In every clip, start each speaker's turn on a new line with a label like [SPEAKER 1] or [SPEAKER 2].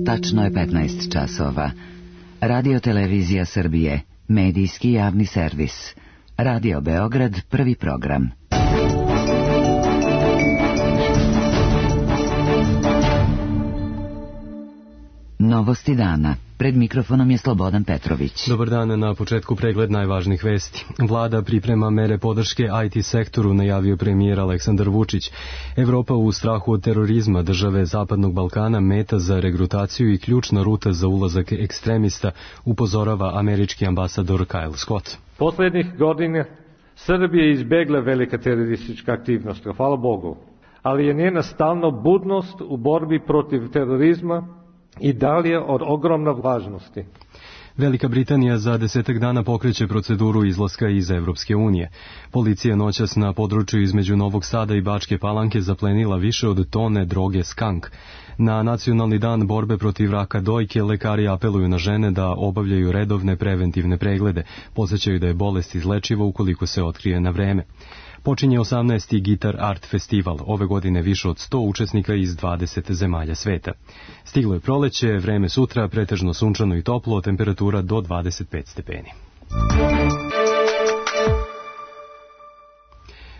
[SPEAKER 1] Tačno je 15 časova. Radio Televizija Srbije, medijski javni servis. Radio Beograd, prvi program. Novosti dana. Pred mikrofonom je Slobodan Petrović.
[SPEAKER 2] Dobar dan, na početku pregled najvažnijih vesti. Vlada priprema mere podrške IT sektoru, najavio premijer Aleksandar Vučić. Evropa u strahu od terorizma, države Zapadnog Balkana meta za regrutaciju i ključna ruta za ulazak ekstremista, upozorava američki ambasador Kyle Scott.
[SPEAKER 3] Poslednjih godina Srbija je izbegla velika teroristička aktivnost, hvala Bogu, ali je njena stalna budnost u borbi protiv terorizma i dalje od ogromne važnosti.
[SPEAKER 2] Velika Britanija za 10 dana pokreće proceduru izlaska iz Evropske unije. Policija noćas na području između Novog Sada i Bačke Palanke zaplenila više od tone droge skank. Na nacionalni dan borbe protiv raka dojke lekari apeluju na žene da obavljaju redovne preventivne preglede. Podsećaju da je bolest izlečiva ukoliko se otkrije na vreme. Počinje 18. Guitar Art Festival, ove godine više od 100 učesnika iz 20 zemalja sveta. Stiglo je proleće, vreme sutra, pretežno sunčano i toplo, temperatura do 25 stepeni.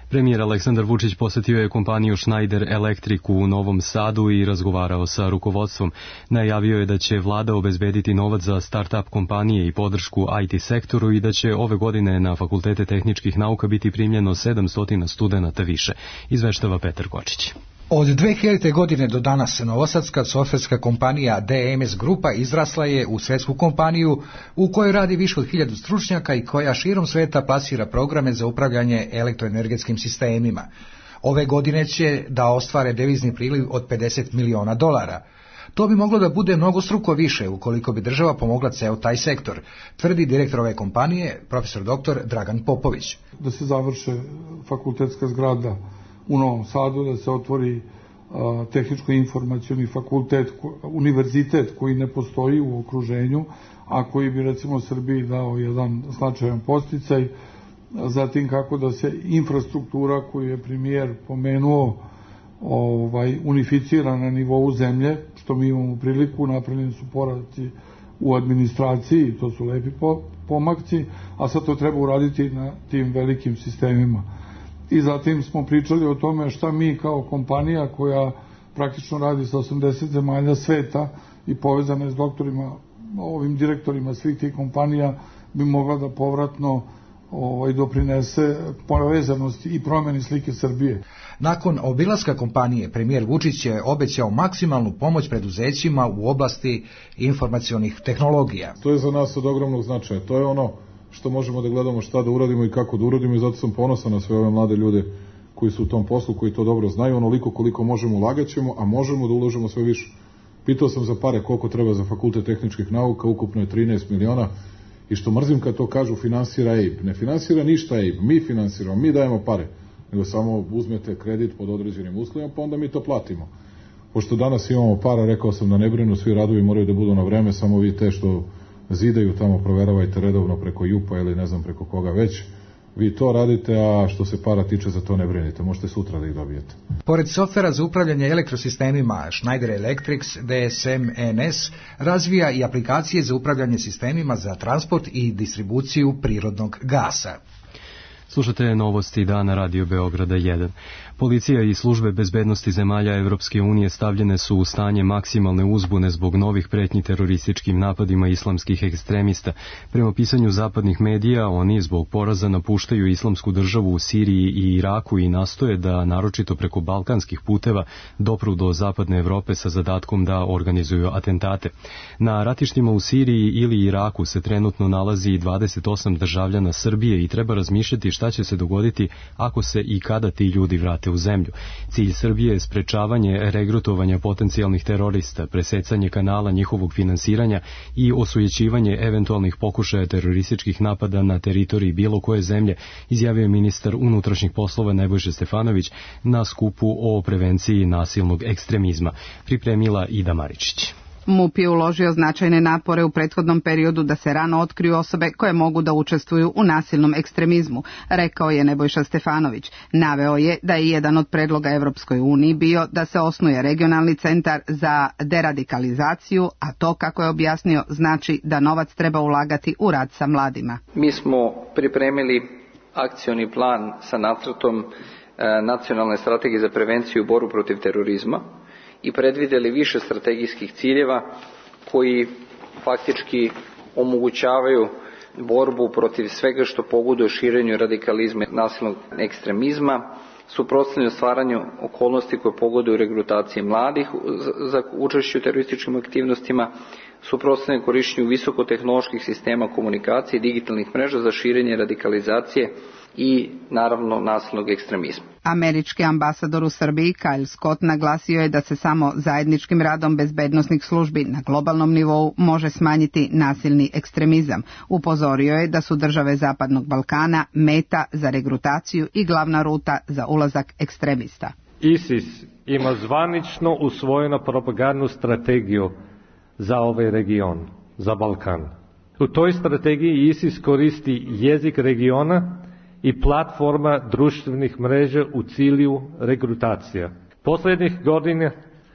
[SPEAKER 2] Premijer Aleksandar Vučić posetio je kompaniju Schneider Electric u Novom Sadu i razgovarao sa rukovodstvom. Najavio je da će vlada obezbediti novac za start-up kompanije i podršku IT sektoru i da će ove godine na Fakultete tehničkih nauka biti primljeno 700 studenata više, izveštava Petar Kočić.
[SPEAKER 4] Od 2000. godine do danas novosadska softverska kompanija DMS Grupa izrasla je u svetsku kompaniju u kojoj radi više od 1000 stručnjaka i koja širom sveta plasira programe za upravljanje elektroenergetskim sistemima. Ove godine će da ostvare devizni priliv od $50 miliona. To bi moglo da bude mnogostruko više ukoliko bi država pomogla ceo taj sektor, tvrdi direktor ove kompanije, profesor dr. Dragan Popović.
[SPEAKER 5] Da se završe fakultetska zgrada u Novom Sadu, da se otvori tehničko-informacioni fakultet, univerzitet koji ne postoji u okruženju, a koji bi recimo Srbiji dao jedan značajan podsticaj, zatim kako da se infrastruktura koju je premijer pomenuo unificira na nivou zemlje, što mi imamo priliku, napravljeni su poradci u administraciji, to su lepi pomakci, a sad to treba uraditi na tim velikim sistemima. I zatim smo pričali o tome šta mi kao kompanija koja praktično radi sa 80 zemalja sveta i povezana je s doktorima, ovim direktorima svih tih kompanija, bi mogla da povratno doprinese povezanosti i promeni slike Srbije.
[SPEAKER 4] Nakon obilaska kompanije, premijer Vučić je obećao maksimalnu pomoć preduzećima u oblasti informacionih tehnologija.
[SPEAKER 6] To je za nas od ogromnog značaja. To je ono što možemo da gledamo, šta da uradimo i kako da uradimo, i zato sam ponosan na sve ove mlade ljude koji su u tom poslu, koji to dobro znaju. Onoliko koliko možemo ulagaćemo, a možemo da ulažemo sve više. Pitao sam za pare koliko treba za Fakultet tehničkih nauka, ukupno je 13 miliona, i što mrzim kad to kažu finansira EIB. Ne finansira ništa EIB, mi finansiramo, mi dajemo pare, nego samo uzmete kredit pod određenim uslovima, pa onda mi to platimo. Pošto danas imamo para, rekao sam da ne brinu, svi radovi moraju da budu na vreme, samo vi te što zidaju tamo proveravajte redovno preko JUP-a ili ne znam preko koga već. Vi to radite, a što se para tiče za to ne brinite, možete sutra da ih dobijete.
[SPEAKER 4] Pored softvera za upravljanje elektrosistemima, Schneider Electric DSM-NS razvija i aplikacije za upravljanje sistemima za transport i distribuciju prirodnog gasa.
[SPEAKER 2] Slušate novosti dana Radio Beograda 1. Policija i službe bezbednosti zemalja Evropske unije stavljene su u stanje maksimalne uzbune zbog novih pretnji terorističkim napadima islamskih ekstremista. Prema pisanju zapadnih medija, oni zbog poraza napuštaju islamsku državu u Siriji i Iraku i nastoje da, naročito preko balkanskih puteva, dopru do zapadne Evrope sa zadatkom da organizuju atentate. Na ratištima u Siriji ili Iraku se trenutno nalazi 28 državljana Srbije i treba razmišljati šta će se dogoditi ako se i kada ti ljudi vrate u zemlju. Cilj Srbije je sprečavanje regrutovanja potencijalnih terorista, presecanje kanala njihovog finansiranja i osujećivanje eventualnih pokušaja terorističkih napada na teritoriji bilo koje zemlje, izjavio ministar unutrašnjih poslova Nebojša Stefanović na skupu o prevenciji nasilnog ekstremizma. Pripremila Ida Maričić.
[SPEAKER 7] MUP je uložio značajne napore u prethodnom periodu da se rano otkriju osobe koje mogu da učestvuju u nasilnom ekstremizmu, rekao je Nebojša Stefanović. Naveo je da je jedan od predloga Evropskoj uniji bio da se osnuje regionalni centar za deradikalizaciju, a to, kako je objasnio, znači da novac treba ulagati u rad sa mladima.
[SPEAKER 8] Mi smo pripremili akcioni plan sa nacrtom nacionalne strategije za prevenciju i borbu protiv terorizma i predvidjeli više strategijskih ciljeva koji faktički omogućavaju borbu protiv svega što pogoduje širenju radikalizma i nasilnog ekstremizma, suprotstavljanju stvaranju okolnosti koje pogoduju regrutaciji mladih za učešće u terorističkim aktivnostima, suprotstavljanju korištenju visokotehnoloških sistema komunikacije i digitalnih mreža za širenje radikalizacije i naravno nasilnog ekstremizma.
[SPEAKER 7] Američki ambasador u Srbiji Kyle Scott naglasio je da se samo zajedničkim radom bezbednosnih službi na globalnom nivou može smanjiti nasilni ekstremizam. Upozorio je da su države Zapadnog Balkana meta za regrutaciju i glavna ruta za ulazak ekstremista.
[SPEAKER 3] ISIS ima zvanično usvojenu propagandnu strategiju za ovaj region, za Balkan. U toj strategiji ISIS koristi jezik regiona i platforma društvenih mreža u cilju regrutacija. Posljednjih godina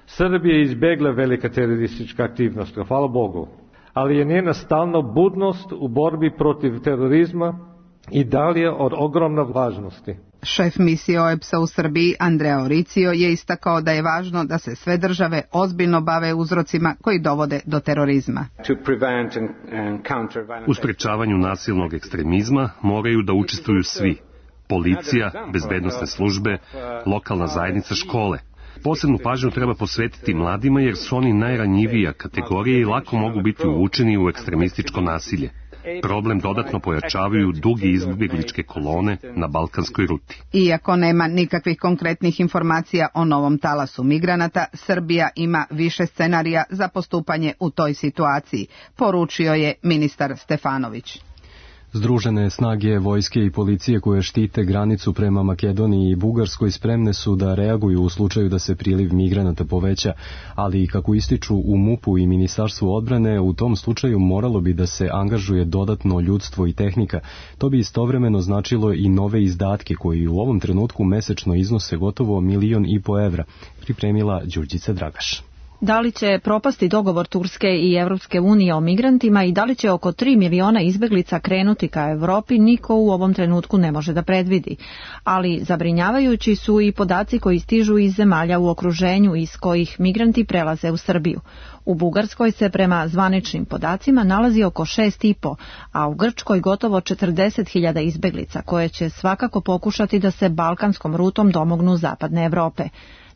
[SPEAKER 3] Srbija je izbjegla velika teroristička aktivnost, hvala Bogu, ali je njena stalna budnost u borbi protiv terorizma i dalje od ogromne važnosti.
[SPEAKER 7] Šef misije OEBS-a u Srbiji, Andrea Oricio, je istakao da je važno da se sve države ozbiljno bave uzrocima koji dovode do terorizma.
[SPEAKER 9] U sprečavanju nasilnog ekstremizma moraju da učestvuju svi: policija, bezbednosne službe, lokalna zajednica, škole. Posebnu pažnju treba posvetiti mladima jer su oni najranjivija kategorija i lako mogu biti uvučeni u ekstremističko nasilje. Problem dodatno pojačavaju duge izbjegličke kolone na balkanskoj ruti.
[SPEAKER 7] Iako nema nikakvih konkretnih informacija o novom talasu migranata, Srbija ima više scenarija za postupanje u toj situaciji, poručio je ministar Stefanović.
[SPEAKER 2] Združene snage vojske i policije koje štite granicu prema Makedoniji i Bugarskoj spremne su da reaguju u slučaju da se priliv migranata poveća, ali kako ističu u MUP-u i Ministarstvu odbrane, u tom slučaju moralo bi da se angažuje dodatno ljudstvo i tehnika. To bi istovremeno značilo i nove izdatke koji u ovom trenutku mesečno iznose gotovo 1,5 miliona evra, pripremila Đurđica Dragaš.
[SPEAKER 10] Da li će propasti dogovor Turske i Evropske unije o migrantima i da li će oko 3 miliona izbeglica krenuti ka Evropi, niko u ovom trenutku ne može da predvidi. Ali zabrinjavajući su i podaci koji stižu iz zemalja u okruženju iz kojih migranti prelaze u Srbiju. U Bugarskoj se prema zvaničnim podacima nalazi oko 6,5, a u Grčkoj gotovo 40.000 izbeglica koje će svakako pokušati da se balkanskom rutom domognu zapadne Evrope.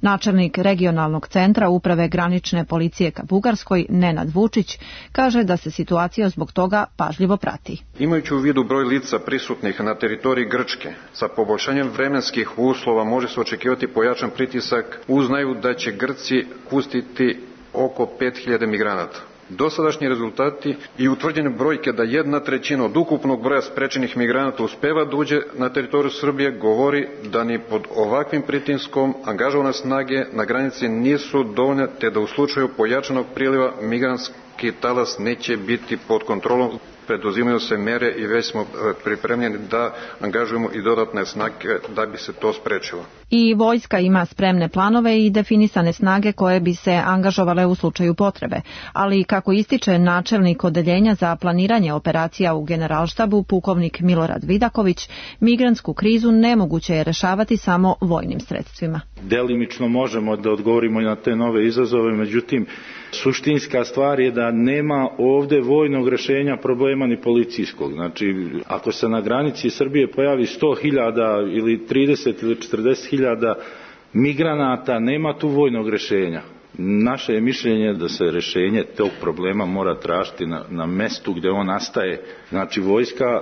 [SPEAKER 10] Načelnik regionalnog centra uprave granične policije ka Bugarskoj, Nenad Vučić, kaže da se situacija zbog toga pažljivo prati.
[SPEAKER 11] Imajući u vidu broj lica prisutnih na teritoriji Grčke, sa poboljšanjem vremenskih uslova može se očekivati pojačan pritisak uz najavu da će Grci pustiti oko 5.000 migranata. Dosadašnji rezultati i utvrđene brojke da 1/3 od ukupnog broja sprečenih migranata uspeva da uđe na teritoriju Srbije govori da ni pod ovakvim pritiskom angažovane snage na granici nisu dovoljne, te da u slučaju pojačanog priliva migrantski talas neće biti pod kontrolom. Preduzimaju se mere i već smo pripremljeni da angažujemo i dodatne snage da bi se to sprečilo.
[SPEAKER 10] I vojska ima spremne planove i definisane snage koje bi se angažovale u slučaju potrebe. Ali kako ističe načelnik odeljenja za planiranje operacija u Generalštabu, pukovnik Milorad Vidaković, migrantsku krizu nemoguće je rešavati samo vojnim sredstvima.
[SPEAKER 12] Delimično možemo da odgovorimo na te nove izazove, međutim, suštinska stvar je da nema ovde vojnog rešenja problema ni policijskog. Znači, ako se na granici Srbije pojavi 100.000 ili 30 ili 40.000 migranata, nema tu vojnog rešenja. Naše je mišljenje da se rešenje tog problema mora tražiti na mestu gde on nastaje. Znači, vojska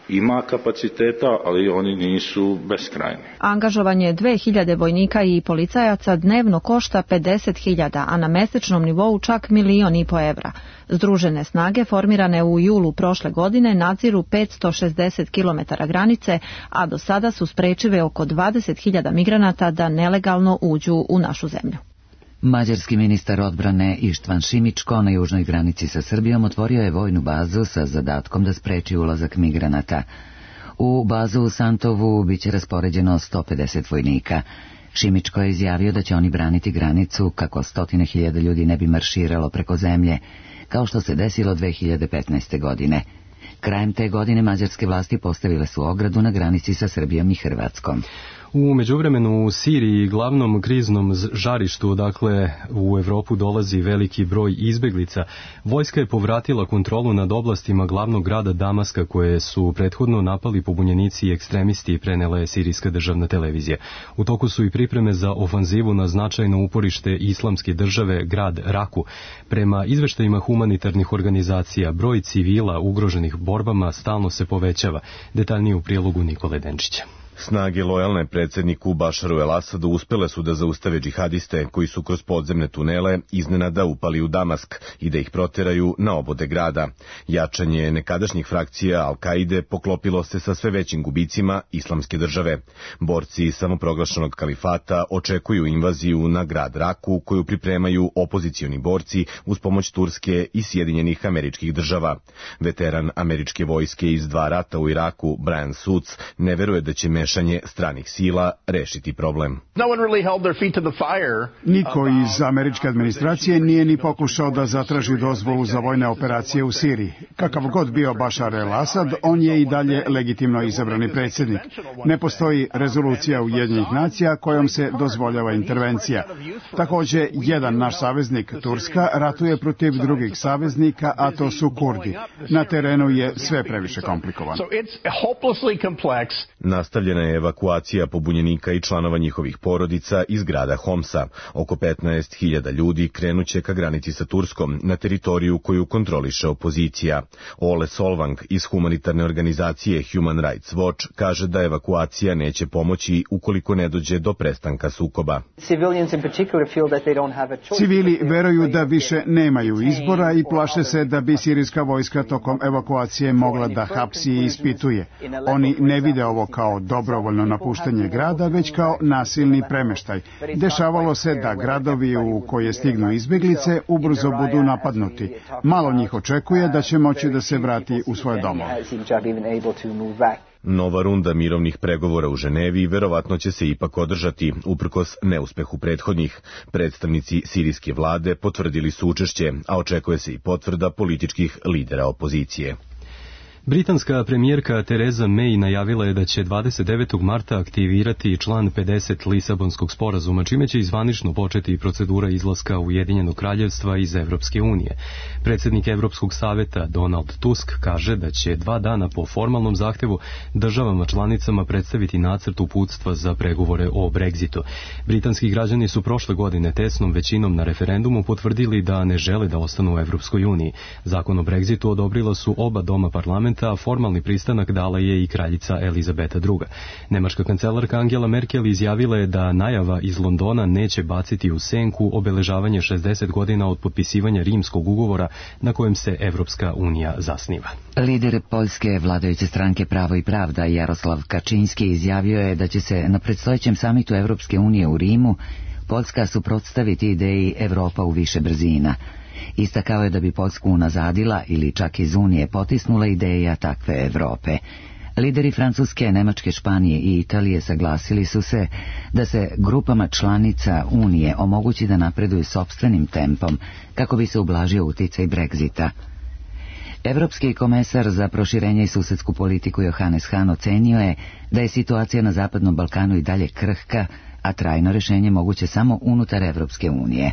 [SPEAKER 12] ima kapaciteta, ali oni nisu beskrajni.
[SPEAKER 10] Angažovanje 2000 vojnika i policajaca dnevno košta 50.000, a na mesečnom nivou čak 1,5 miliona evra. Združene snage formirane u julu prošle godine nadziru 560 km granice, a do sada su sprečile oko 20.000 migranata da nelegalno uđu u našu zemlju.
[SPEAKER 1] Mađarski ministar odbrane Ištvan Šimičko na južnoj granici sa Srbijom otvorio je vojnu bazu sa zadatkom da spreči ulazak migranata. U bazu u Santovu biće raspoređeno 150 vojnika. Šimičko je izjavio da će oni braniti granicu kako 100.000 ljudi ne bi marširalo preko zemlje, kao što se desilo 2015. godine. Krajem te godine mađarske vlasti postavile su ogradu na granici sa Srbijom i Hrvatskom.
[SPEAKER 2] U međuvremenu u Siriji, glavnom kriznom žarištu, odakle u Evropu dolazi veliki broj izbeglica, vojska je povratila kontrolu nad oblastima glavnog grada Damaska koje su prethodno napali pobunjenici i ekstremisti, prenela je sirijska državna televizija. U toku su i pripreme za ofanzivu na značajno uporište islamske države, grad Raku. Prema izveštajima humanitarnih organizacija, broj civila ugroženih borbama stalno se povećava. Detaljnije u prilogu Nikole Denčića.
[SPEAKER 13] Snage lojalne predsjedniku Bašaru el-Asadu uspjele su da zaustave džihadiste koji su kroz podzemne tunele iznenada upali u Damask i da ih proteraju na obode grada. Jačanje nekadašnjih frakcija Al-Kaide poklopilo se sa sve većim gubicima islamske države. Borci samoproglašenog kalifata očekuju invaziju na grad Raku koju pripremaju opozicioni borci uz pomoć Turske i Sjedinjenih Američkih Država. Veteran američke vojske iz 2 rata u Iraku, Brian Suits, ne veruje da će mešanje stranih sila rešiti problem.
[SPEAKER 14] Niko iz američke administracije nije ni pokušao da zatraži dozvolu za vojne operacije u Siriji. Kakav god bio Bašar el-Asad, on je i dalje legitimno izabrani predsjednik. Ne postoji rezolucija Ujedinjenih nacija kojom se dozvoljava intervencija. Također, jedan naš saveznik, Turska, ratuje protiv drugih saveznika, a to su Kurdi. Na terenu je sve previše komplikovano.
[SPEAKER 13] Nastavljena je evakuacija pobunjenika i članova njihovih porodica iz grada Homsa. Oko 15.000 ljudi krenuće ka granici sa Turskom na teritoriju koju kontroliše opozicija. Ole Solvang iz humanitarne organizacije Human Rights Watch kaže da evakuacija neće pomoći ukoliko ne dođe do prestanka sukoba.
[SPEAKER 14] Civili veruju da više nemaju izbora i plaše se da bi sirijska vojska tokom evakuacije mogla da hapsi i ispituje. Oni ne vide ovo kao dobrovoljno napuštanje grada, već kao nasilni premeštaj. Dešavalo se da gradovi u koje stignu izbjeglice ubrzo budu napadnuti. Malo njih očekuje da će moći da se vrati u svoje domove.
[SPEAKER 13] Nova runda mirovnih pregovora u Ženevi verovatno će se ipak održati, uprkos neuspehu prethodnih. Predstavnici sirijske vlade potvrdili su učešće, a očekuje se i potvrda političkih lidera opozicije.
[SPEAKER 2] Britanska premijerka Theresa May najavila je da će 29. marta aktivirati član 50 Lisabonskog sporazuma, čime će zvanično početi procedura izlaska Ujedinjenog kraljevstva iz Evropske unije. Predsjednik Evropskog saveta Donald Tusk kaže da će 2 dana po formalnom zahtevu državama članicama predstaviti nacrt uputstva za pregovore o Brexitu. Britanski građani su prošle godine tesnom većinom na referendumu potvrdili da ne žele da ostanu u Evropskoj uniji. Zakon o Brexitu odobrila su oba doma parlamenta, a formalni pristanak dala je i kraljica Elizabeta II. Nemačka kancelarka Angela Merkel izjavila je da najava iz Londona neće baciti u senku obeležavanje 60 godina od potpisivanja Rimskog ugovora na kojem se Evropska unija zasniva.
[SPEAKER 1] Lider poljske vladajuće stranke Pravo i pravda Jaroslav Kačinski izjavio je da će se na predstojećem samitu Evropske unije u Rimu Poljska suprotstaviti ideji Evropa u više brzina. Istakao je da bi Poljsku unazadila ili čak iz Unije potisnula ideja takve Evrope. Lideri Francuske, Nemačke, Španije i Italije saglasili su se da se grupama članica Unije omogući da napreduju sopstvenim tempom kako bi se ublažio uticaj Brexita. Evropski komesar za proširenje i susedsku politiku Johannes Hahn ocenio je da je situacija na Zapadnom Balkanu i dalje krhka, a trajno rješenje moguće samo unutar Evropske unije.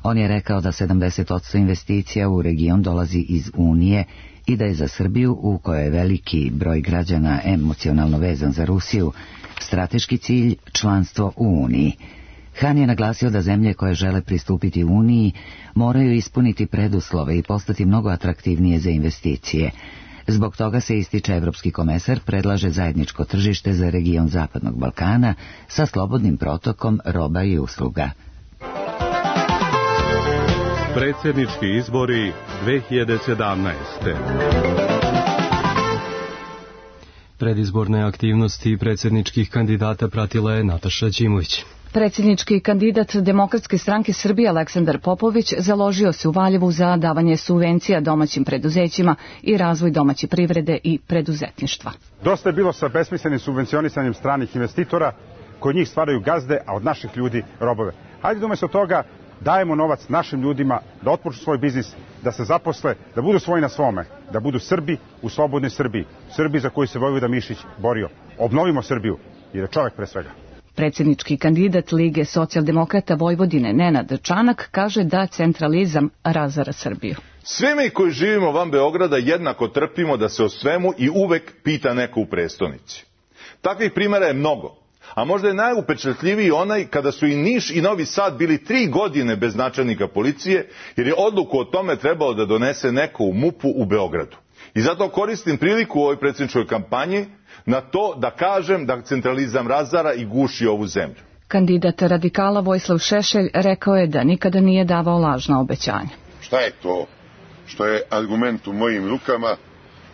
[SPEAKER 1] On je rekao da 70% investicija u region dolazi iz Unije i da je za Srbiju, u kojoj je veliki broj građana emocionalno vezan za Rusiju, strateški cilj članstvo u Uniji. Han je naglasio da zemlje koje žele pristupiti Uniji moraju ispuniti preduslove i postati mnogo atraktivnije za investicije. Zbog toga se, ističe evropski komesar, predlaže zajedničko tržište za region Zapadnog Balkana sa slobodnim protokom roba i usluga.
[SPEAKER 15] Predsjednički izbori 2017.
[SPEAKER 2] Predizborne aktivnosti predsjedničkih kandidata pratila je Nataša Ćimović.
[SPEAKER 16] Predsjednički kandidat Demokratske stranke Srbije Aleksandar Popović založio se u Valjevu za davanje subvencija domaćim preduzećima i razvoj domaće privrede i preduzetništva.
[SPEAKER 17] Dosta je bilo sa besmislenim subvencionisanjem stranih investitora koji njih stvaraju gazde, a od naših ljudi robove. Hajde da umjesto toga dajemo novac našim ljudima da otpočnu svoj biznis, da se zaposle, da budu svoji na svome, da budu Srbi u slobodnoj Srbiji, Srbiji za koju se Vojvoda Mišić borio. Obnovimo Srbiju, jer je čovek pre svega.
[SPEAKER 16] Predsjednički kandidat Lige socijaldemokrata Vojvodine Nenad Čanak kaže da centralizam razara Srbiju.
[SPEAKER 18] Sve mi koji živimo van Beograda jednako trpimo da se o svemu i uvek pita neko u prestonici. Takvih primjera je mnogo, a možda je najupečatljiviji onaj kada su i Niš i Novi Sad bili 3 godine bez načelnika policije, jer je odluku o tome trebalo da donese neko u MUP-u u Beogradu. I zato koristim priliku u ovoj predsjedničkoj kampanji na to da kažem da centralizam razara i guši ovu zemlju.
[SPEAKER 16] Kandidat radikala Vojislav Šešelj rekao je da nikada nije davao lažna obećanja.
[SPEAKER 19] Šta je to što je argument u mojim rukama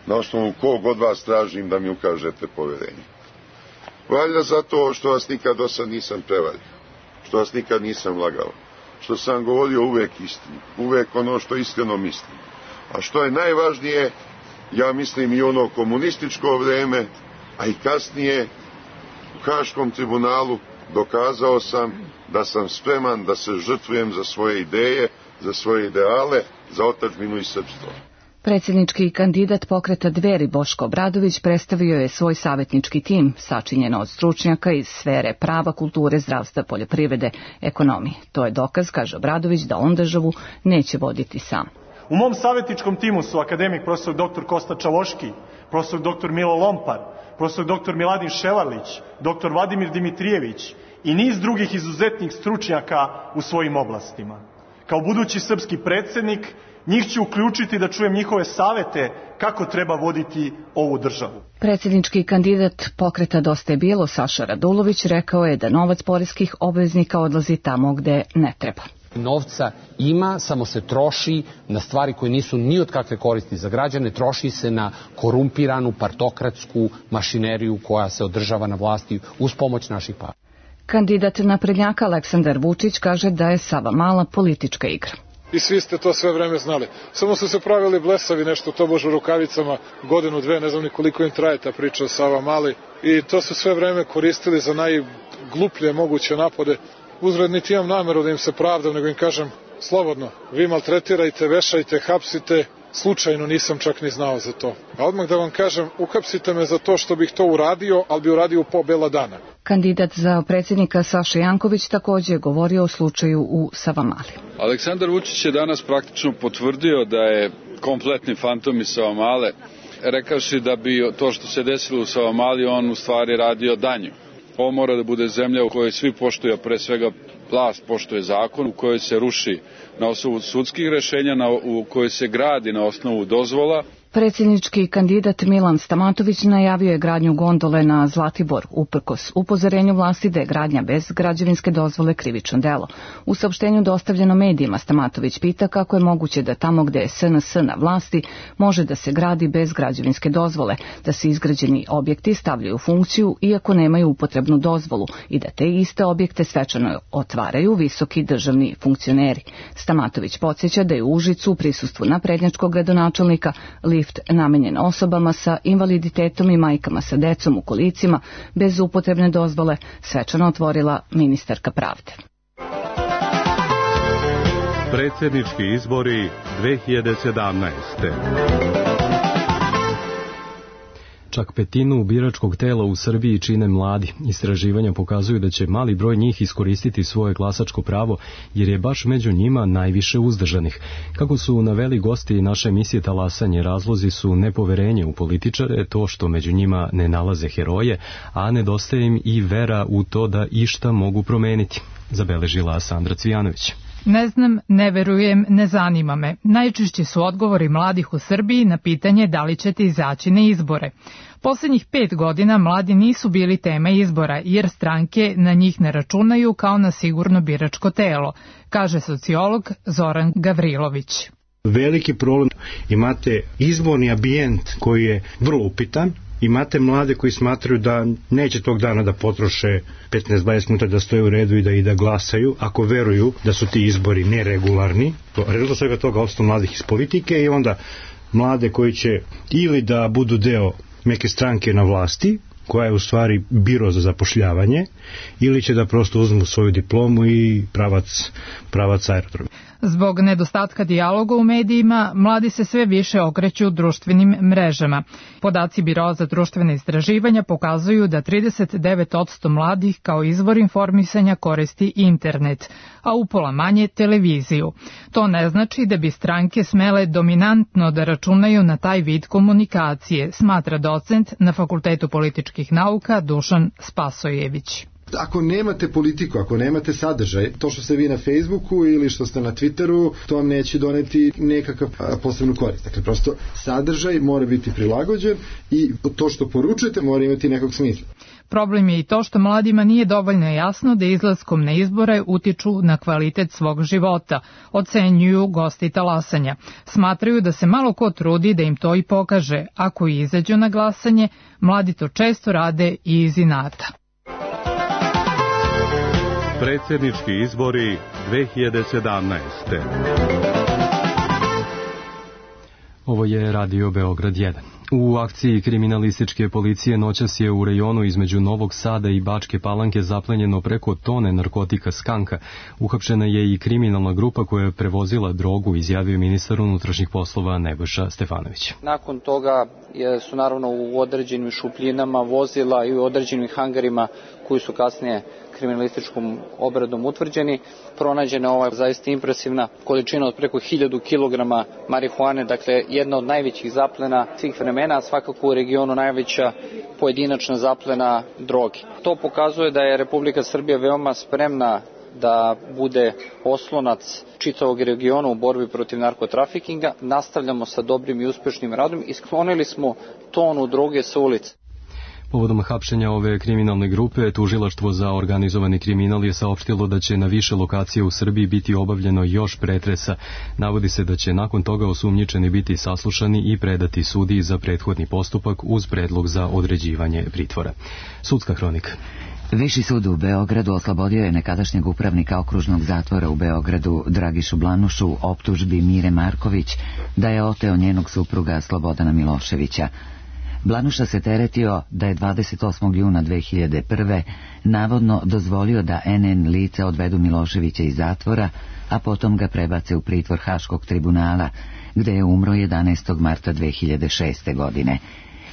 [SPEAKER 19] na osnovu kog od vas tražim da mi ukažete poverenje? Valjda zato što vas nikad do sad nisam prevario, što vas nikad nisam lagao, što sam govorio uvek istinu, uvek ono što iskreno mislim. A što je najvažnije, ja mislim i ono komunističko vreme, a i kasnije u Haškom tribunalu dokazao sam da sam spreman da se žrtvujem za svoje ideje, za svoje ideale, za otadžbinu i srpstvo.
[SPEAKER 16] Predsjednički kandidat pokreta Dveri Boško Obradović predstavio je svoj savjetnički tim, sačinjen od stručnjaka iz sfere prava, kulture, zdravstva, poljoprivrede, ekonomije. To je dokaz, kaže Obradović, da on državu neće voditi sam.
[SPEAKER 20] U mom savjetničkom timu su akademik profesor dr. Kosta Čavoški, profesor dr. Milo Lompar, profesor dr. Miladin Ševarlić, dr. Vladimir Dimitrijević i niz drugih izuzetnih stručnjaka u svojim oblastima. Kao budući srpski predsjednik, njih ću uključiti da čujem njihove savete kako treba voditi ovu državu.
[SPEAKER 16] Predsjednički kandidat pokreta Dosta je bilo, Saša Radulović, rekao je da novac poreskih obveznika odlazi tamo gde ne treba.
[SPEAKER 21] Novca ima, samo se troši na stvari koje nisu ni od kakve koristi za građane, troši se na korumpiranu partokratsku mašineriju koja se održava na vlasti uz pomoć naših para.
[SPEAKER 16] Kandidat naprednjaka Aleksandar Vučić kaže da je Savamala politička igra.
[SPEAKER 22] I svi ste to sve vreme znali. Samo su se pravili blesavi nešto tobože rukavicama, godinu, dve, ne znam ni koliko im traje ta priča o Savamali. I to su sve vreme koristili za najgluplje moguće napade. Uzred niti imam nameru da im se pravdam, nego im kažem slobodno, vi maltretirajte, vešajte, hapsite, slučajno nisam čak ni znao za to. A odmah da vam kažem, uhapsite me za to što bih to uradio, ali bi uradio po bela dana.
[SPEAKER 16] Kandidat za predsjednika Saša Janković također je govorio o slučaju u Savamali.
[SPEAKER 23] Aleksandar Vučić je danas praktično potvrdio da je kompletni fantom iz Savamale, rekavši da bi to što se desilo u Savamali on u stvari radio danju. Ovo mora da bude zemlja u kojoj svi poštuju, pre svega vlast poštuje zakon, u kojoj se ruši na osnovu sudskih rešenja, u kojoj se gradi na osnovu dozvola.
[SPEAKER 16] Predsjednički kandidat Milan Stamatović najavio je gradnju gondole na Zlatibor, uprkos upozorenju vlasti da je gradnja bez građevinske dozvole krivično delo. U saopštenju dostavljeno medijima Stamatović pita kako je moguće da tamo gde je SNS na vlasti može da se gradi bez građevinske dozvole, da se izgrađeni objekti stavljaju u funkciju iako nemaju upotrebnu dozvolu i da te iste objekte svečano otvaraju visoki državni funkcioneri. Stamatović podsjeća da je u Užicu u prisustvu naprednjačkog gradonačelnika lift namenjen osobama sa invaliditetom i majkama sa decom u kolicima bez upotrebne dozvole svečano otvorila ministarka pravde.
[SPEAKER 15] Predsjednički izbori 2017.
[SPEAKER 2] Čak petinu biračkog tela u Srbiji čine mladi. Istraživanja pokazuju da će mali broj njih iskoristiti svoje glasačko pravo, jer je baš među njima najviše uzdržanih. Kako su naveli gosti naše emisije Talasanje, razlozi su nepoverenje u političare, to što među njima ne nalaze heroje, a nedostaje im i vera u to da išta mogu promeniti, zabeležila Sandra Cvijanović.
[SPEAKER 24] Ne znam, ne verujem, ne zanima me. Najčešći su odgovori mladih u Srbiji na pitanje da li ćete izaći na izbore. Poslednjih 5 godina mladi nisu bili tema izbora, jer stranke na njih ne računaju kao na sigurno biračko telo, kaže sociolog Zoran Gavrilović.
[SPEAKER 25] Veliki problem, imate izborni ambijent koji je vrlo upitan,
[SPEAKER 4] Imate mlade koji smatraju da neće tog dana da potroše 15-20 minuta da stoje u redu i da glasaju, ako veruju da su ti izbori neregularni. Rezultat svega toga odsustvo mladih iz politike i onda mlade koji će ili da budu deo neke stranke na vlasti, koja je u stvari biro za zapošljavanje, ili će da prosto uzmu svoju diplomu i pravac aerodroma.
[SPEAKER 24] Zbog nedostatka dijaloga u medijima, mladi se sve više okreću društvenim mrežama. Podaci Biroa za društvene istraživanja pokazuju da 39% mladih kao izvor informisanja koristi internet, a upola manje televiziju. To ne znači da bi stranke smele dominantno da računaju na taj vid komunikacije, smatra docent na Fakultetu političkih nauka Dušan Spasojević.
[SPEAKER 5] Ako nemate politiku, ako nemate sadržaj, to što ste vi na Facebooku ili što ste na Twitteru, to vam neće doneti nekakav posebnu korist. Dakle, prosto sadržaj mora biti prilagođen i to što poručujete mora imati nekog smisla.
[SPEAKER 24] Problem je i to što mladima nije dovoljno jasno da izlaskom na izbore utiču na kvalitet svog života, ocenjuju gosti talasanja. Smatraju da se malo ko trudi da im to i pokaže. Ako izađu na glasanje, mladi to često rade i iz inata.
[SPEAKER 15] Predsjednički izbori 2017.
[SPEAKER 2] Ovo je Radio Beograd 1. U akciji kriminalističke policije noćas je u rejonu između Novog Sada i Bačke Palanke zaplenjeno preko tone narkotika skanka. Uhapšena je i kriminalna grupa koja je prevozila drogu, izjavio ministar unutrašnjih poslova Nebojša Stefanović.
[SPEAKER 6] Nakon toga su naravno u određenim šupljinama vozila i u određenim hangarima koji su kasnije kriminalističkom obradom utvrđeni. Pronađena ova zaista impresivna količina od preko 1000 kilograma marihuane, dakle jedna od najvećih zaplena svih vremena, a svakako u regionu najveća pojedinačna zaplena droge. To pokazuje da je Republika Srbija veoma spremna da bude oslonac čitavog regiona u borbi protiv narkotrafikinga. Nastavljamo sa dobrim i uspešnim radom i sklonili smo tonu droge sa ulice.
[SPEAKER 2] Povodom hapšenja ove kriminalne grupe, tužilaštvo za organizovani kriminal je saopštilo da će na više lokacije u Srbiji biti obavljeno još pretresa. Navodi se da će nakon toga osumnjičeni biti saslušani i predati sudiji za prethodni postupak uz predlog za određivanje pritvora. Sudska hronika.
[SPEAKER 1] Viši sud u Beogradu oslobodio je nekadašnjeg upravnika okružnog zatvora u Beogradu Dragišu Blanušu optužbi Mire Marković da je oteo njenog supruga Slobodana Miloševića. Blanuša se teretio da je 28. juna 2001. navodno dozvolio da NN lica odvedu Miloševića iz zatvora, a potom ga prebace u pritvor Haškog tribunala, gde je umro 11. marta 2006. godine.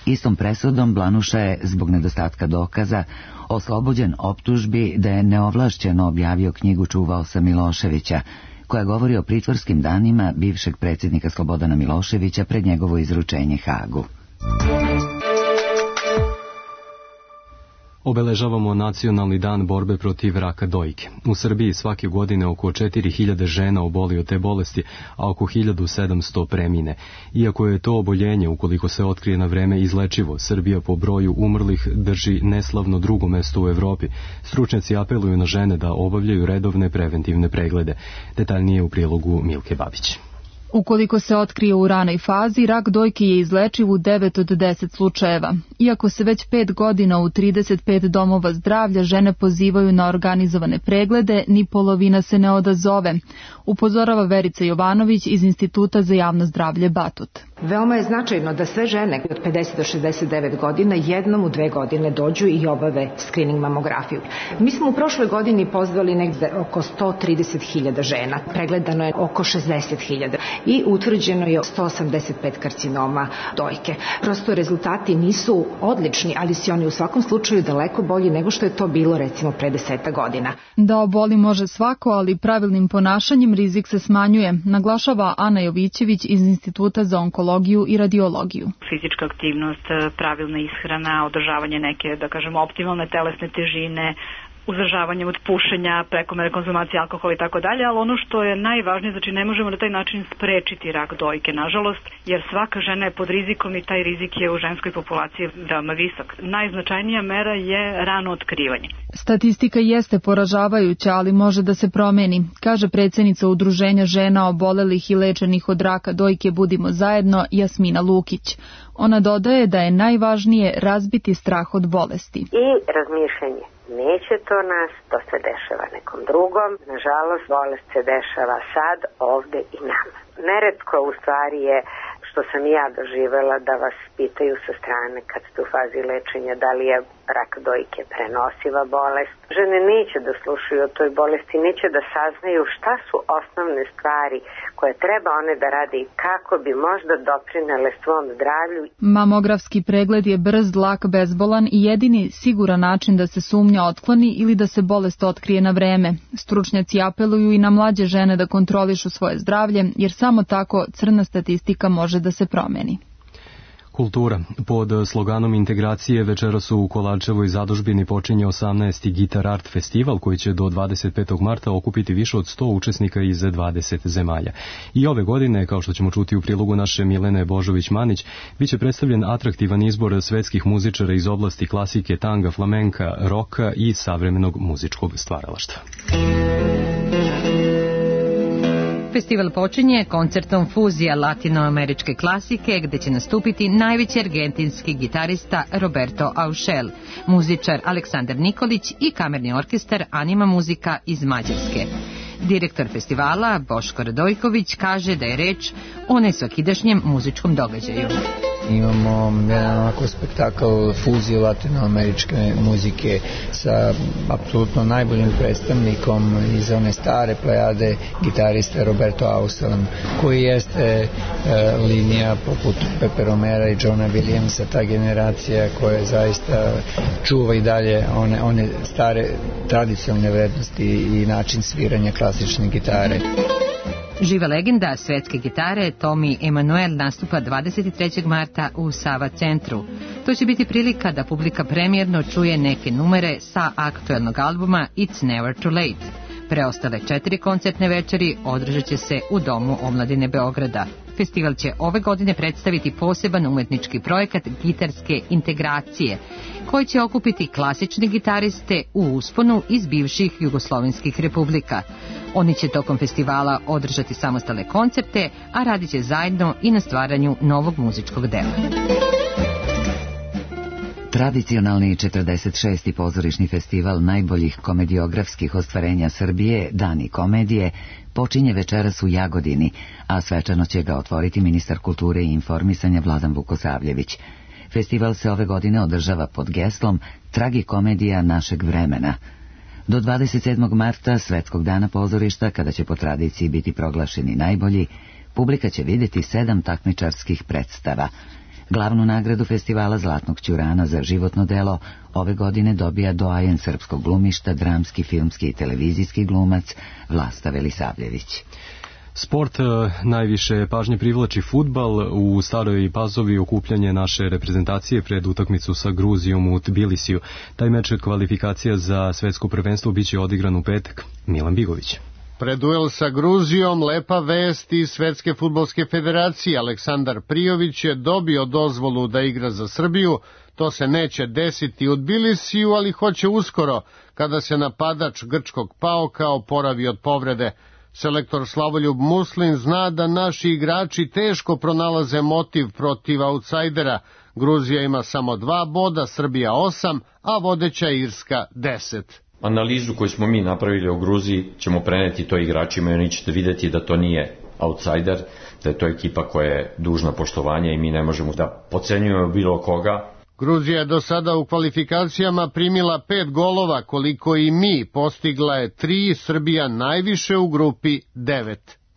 [SPEAKER 1] Istom presudom Blanuša je, zbog nedostatka dokaza, oslobođen optužbi da je neovlašćeno objavio knjigu Čuvaoca Miloševića, koja govori o pritvorskim danima bivšeg predsjednika Slobodana Miloševića pred njegovo izručenje Hagu.
[SPEAKER 2] Obeležavamo Nacionalni dan borbe protiv raka dojke. U Srbiji svake godine oko 4000 žena oboli od te bolesti, a oko 1700 premine. Iako je to oboljenje, ukoliko se otkrije na vreme, izlečivo, Srbija po broju umrlih drži neslavno drugo mesto u Evropi. Stručnjaci apeluju na žene da obavljaju redovne preventivne preglede. Detaljnije u prilogu Milke Babić.
[SPEAKER 8] Ukoliko se otkrije u ranoj fazi, rak dojke je izlečiv u 9 od 10 slučajeva. Iako se već 5 godina u 35 domova zdravlja žene pozivaju na organizovane preglede, ni polovina se ne odazove, upozorava Verica Jovanović iz Instituta za javno zdravlje Batut.
[SPEAKER 25] Veoma je značajno da sve žene od 50 do 69 godina jednom u 2 godine dođu i obave screening mamografiju. Mi smo u prošloj godini pozvali negde oko 130.000 žena. Pregledano je oko 60.000 i utvrđeno je 185 karcinoma dojke. Prosto rezultati nisu odlični, ali su oni u svakom slučaju daleko bolji nego što je to bilo recimo pre 10 godina.
[SPEAKER 8] Da oboli može svako, ali pravilnim ponašanjem rizik se smanjuje, naglašava Ana Jovićević iz Instituta za onkologiju i radiologiju.
[SPEAKER 26] Fizička aktivnost, pravilna ishrana, održavanje neke, da kažemo, optimalne telesne težine,
[SPEAKER 3] uzdržavanjem od pušenja, prekomerne konzumacije alkohola i tako dalje, ali ono što je najvažnije, znači ne možemo na taj način sprečiti rak dojke, nažalost, jer svaka žena je pod rizikom i taj rizik je u ženskoj populaciji veoma visok. Najznačajnija mera je rano otkrivanje.
[SPEAKER 8] Statistika jeste poražavajuća, ali može da se promeni, kaže predsjednica Udruženja žena obolelih i lečenih od raka dojke Budimo zajedno, Jasmina Lukić. Ona dodaje da je najvažnije razbiti strah od bolesti.
[SPEAKER 7] I razmišljanje. Neće to nas, to se dešava nekom drugom. Nažalost, bolest se dešava sad, ovde i nama. Neretko u stvari je, što sam i ja doživela, da vas pitaju sa strane kad ste u fazi lečenja da li je rak dojke prenosiva bolest. Žene neće da slušaju o toj bolesti, neće da saznaju šta su osnovne stvari koje treba one da rade i kako bi možda doprinele svom zdravlju.
[SPEAKER 8] Mamografski pregled je brz, lak, bezbolan i jedini siguran način da se sumnja otkloni ili da se bolest otkrije na vreme. Stručnjaci apeluju i na mlađe žene da kontrolišu svoje zdravlje, jer samo tako crna statistika može da se promeni.
[SPEAKER 2] Kultura. Pod sloganom integracije večeras u Kolarčevoj zadužbini počinje 18. Gitar Art festival koji će do 25. marta okupiti više od 100 učesnika iz 20 zemalja. I ove godine, kao što ćemo čuti u prilogu naše Milene Božović-Manić, biće predstavljen atraktivan izbor svetskih muzičara iz oblasti klasike, tanga, flamenka, roka i savremenog muzičkog stvaralaštva.
[SPEAKER 9] Festival počinje koncertom fuzija latinoameričke klasike gde će nastupiti najveći argentinski gitarista Roberto Aušel, muzičar Aleksandar Nikolić i kamerni orkestar Anima Muzika iz Mađarske. Direktor festivala Boško Radojković kaže da je reč o nesvakidašnjem muzičkom događaju.
[SPEAKER 11] Imamo jedan onako spektakl fuzije latinoameričke muzike sa apsolutno najboljim predstavnikom iz one stare plejade gitariste Roberto Aušelom, koji jeste linija poput Pepe Romera i Johna Williamsa, ta generacija koja zaista čuva i dalje one stare tradicionalne vrednosti i način sviranja klasične gitare.
[SPEAKER 9] Živa legenda svetske gitare Tommy Emanuel nastupa 23. marta u Sava centru. To će biti prilika da publika premijerno čuje neke numere sa aktuelnog albuma It's Never Too Late. Preostale 4 koncertne večeri održat će se u Domu omladine Beograda. Festival će ove godine predstaviti poseban umetnički projekat gitarske integracije, koji će okupiti klasične gitariste u usponu iz bivših jugoslovenskih republika. Oni će tokom festivala održati samostalne koncerte, a radit će zajedno i na stvaranju novog muzičkog dela.
[SPEAKER 1] Tradicionalni 46. pozorišni festival najboljih komediografskih ostvarenja Srbije, Dani komedije, počinje večeras u Jagodini, a svečano će ga otvoriti ministar kulture i informisanja Vladan Vukosavljević. Festival se ove godine održava pod geslom Tragikomedija našeg vremena. Do 27. marta, Svetskog dana pozorišta, kada će po tradiciji biti proglašeni najbolji, publika će vidjeti 7 takmičarskih predstava. Glavnu nagradu festivala Zlatnog ćurana za životno delo ove godine dobija doajen srpskog glumišta, dramski, filmski i televizijski glumac Vlasta Velisavljević.
[SPEAKER 2] Sport najviše pažnje privlači fudbal. U Staroj Pazovi okupljanje naše reprezentacije pred utakmicu sa Gruzijom u Tbilisiju. Taj meč kvalifikacija za svetsko prvenstvo biće odigran u petak. Milan Bigović.
[SPEAKER 12] Preduel sa Gruzijom, lepa vest iz Svetske fudbalske federacije. Aleksandar Prijović je dobio dozvolu da igra za Srbiju. To se neće desiti u Tbilisiju, ali hoće uskoro, kada se napadač grčkog PAOK-a oporavi od povrede. Selektor Slavoljub Muslin zna da naši igrači teško pronalaze motiv protiv autsajdera. Gruzija ima samo 2 boda, Srbija 8, a vodeća Irska 10.
[SPEAKER 26] Analizu koju smo mi napravili o Gruziji ćemo preneti to igračima i oni ćete vidjeti da to nije outsider, da je to ekipa koja je dužna poštovanja i mi ne možemo da podcenjujemo bilo koga.
[SPEAKER 12] Gruzija je do sada u kvalifikacijama primila 5 golova, koliko i mi, postigla je 3, Srbija najviše u grupi 9.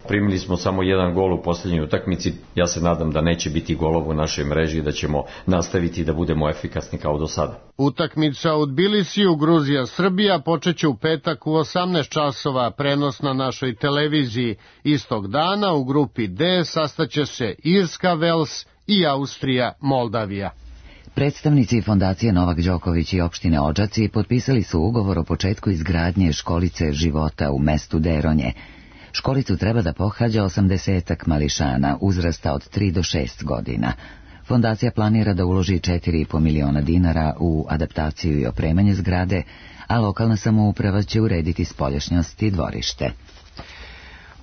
[SPEAKER 26] Primili smo samo 1 gol u posljednjoj utakmici, ja se nadam da neće biti golov u našoj mreži i da ćemo nastaviti da budemo efikasni kao do sada.
[SPEAKER 12] Utakmica u Tbilisiju, Gruzija-Srbija, počeće u petak u 18 časova, prenos na našoj televiziji. Istog dana u grupi D sastaće se Irska, Vels i Austrija, Moldavija.
[SPEAKER 1] Predstavnici Fondacije Novak Đoković i opštine Odžaci potpisali su ugovor o početku izgradnje školice života u mestu Deronje. Školicu treba da pohađa 80-ak mališana uzrasta od 3 do 6 godina. Fondacija planira da uloži 4,5 miliona dinara u adaptaciju i opremanje zgrade, a lokalna samouprava će urediti spoljašnjost i dvorište.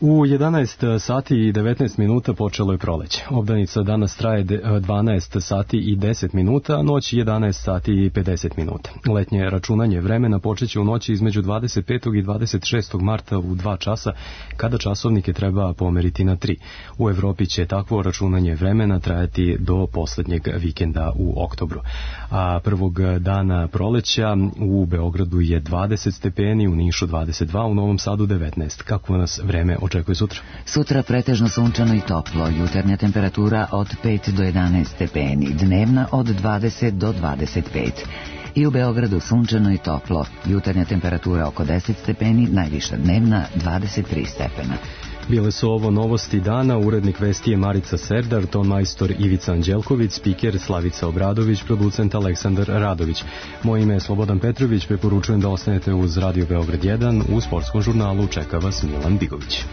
[SPEAKER 2] U 11 sati i 19 minuta počelo je proleće. Obdanica danas traje 12 sati i 10 minuta, noć 11 sati i 50 minuta. Letnje računanje vremena počeće u noći između 25. i 26. marta u 2 časa, kada časovnike treba pomeriti na 3. U Evropi će takvo računanje vremena trajati do poslednjeg vikenda u oktobru. A prvog dana proleća u Beogradu je 20 stepeni, u Nišu 22, u Novom Sadu 19. Kako nas vreme očekuje sutra?
[SPEAKER 1] Sutra pretežno sunčano i toplo, jutarnja temperatura od 5 do 11 stepeni, dnevna od 20 do 25. I u Beogradu sunčano i toplo, jutarnja temperatura oko 10 stepeni, najviša dnevna 23 stepena.
[SPEAKER 2] Bile su ovo novosti dana, urednik vesti je Marica Serdar, ton majstor Ivica Anđelković, spiker Slavica Obradović, producent Aleksandar Radović. Moje ime je Slobodan Petrović, preporučujem da ostanete uz Radio Beograd 1, u sportskom žurnalu čeka vas Milan Bigović.